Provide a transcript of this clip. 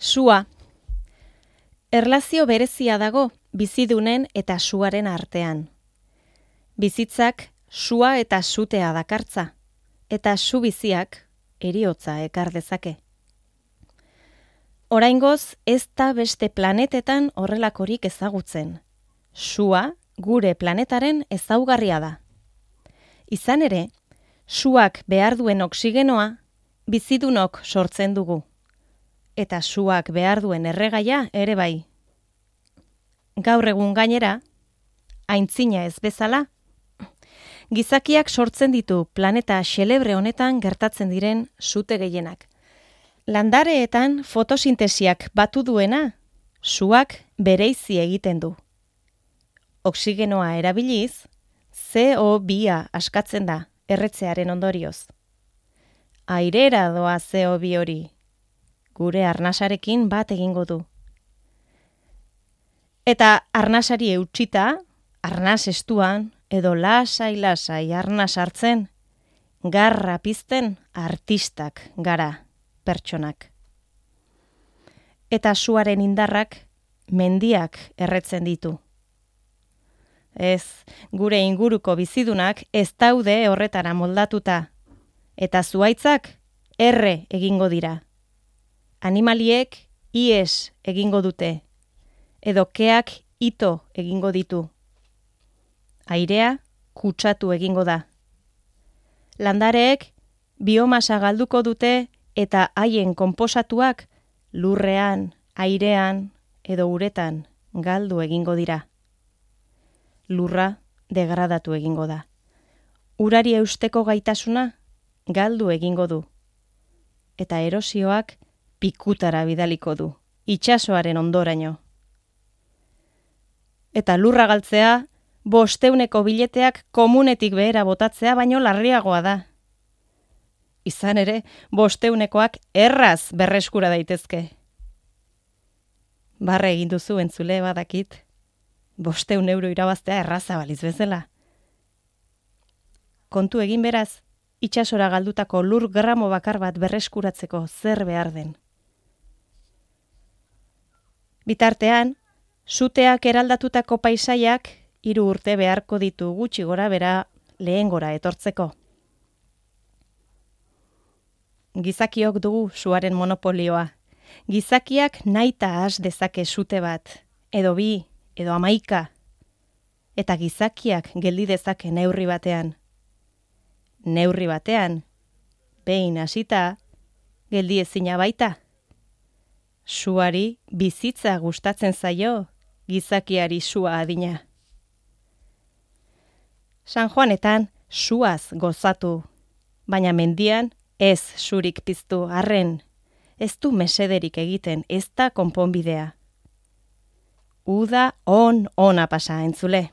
Sua. Erlazio berezia dago bizidunen eta suaren artean. Bizitzak sua eta sutea dakartza, eta su biziak heriotza ekar dezake. Oraingoz ez da beste planetetan horrelakorik ezagutzen. Sua gure planetaren ezaugarria da. Izan ere, suak behar duen oksigenoa bizidunok sortzen dugu. Eta suak behar duen erregaia ere bai. Gaur egun gainera, aintzina ez bezala, gizakiak sortzen ditu planeta xelebre honetan gertatzen diren sute gehienak. Landareetan fotosintesiak batu duena, suak bereizi egiten du. Oksigenoa erabiliz, CO2 askatzen da erretzearen ondorioz. Airera doa CO2 hori, gure arnasarekin bat egingo du. Eta arnasari eutxita, arnas estuan, edo lasai arnas hartzen, garra pizten artistak gara pertsonak. Eta suaren indarrak mendiak erretzen ditu. Ez, gure inguruko bizidunak ez daude horretara moldatuta, eta zuaitzak erre egingo dira. Animaliek ies egingo dute, edo keak ito egingo ditu. Airea kutsatu egingo da. Landareek biomasa galduko dute eta haien konposatuak lurrean, airean edo uretan galdu egingo dira. Lurra degradatu egingo da. Urari eusteko gaitasuna galdu egingo du. Eta erosioak pikutara bidaliko du, itsasoaren ondoraino. Eta lurra galtzea, 500 bileteak komunetik behera botatzea baino larriagoa da. Izan ere, 500koak erraz berreskura daitezke. Barre egin duzu entzule badakit, 500 euro irabaztea erraza baliz bezala. Kontu egin beraz, itsasora galdutako lur gramo bakar bat berreskuratzeko zer behar den. Bitartean, suteak eraldatutako paisaiak 3 urte beharko ditu gutxi gora bera lehengora etortzeko. Gizakiok dugu suaren monopolioa. Gizakiak nahita has dezake sute bat, edo 2, edo 11. Eta gizakiak geldi dezake neurri batean. Neurri batean, behin hasita, geldi ezina baita. Suari bizitza gustatzen zaio, gizakiari sua adina. San Juanetan suaz gozatu, baina mendian ez surik piztu arren, ez du mesederik egiten, ez da konponbidea. Uda ona pasa entzule.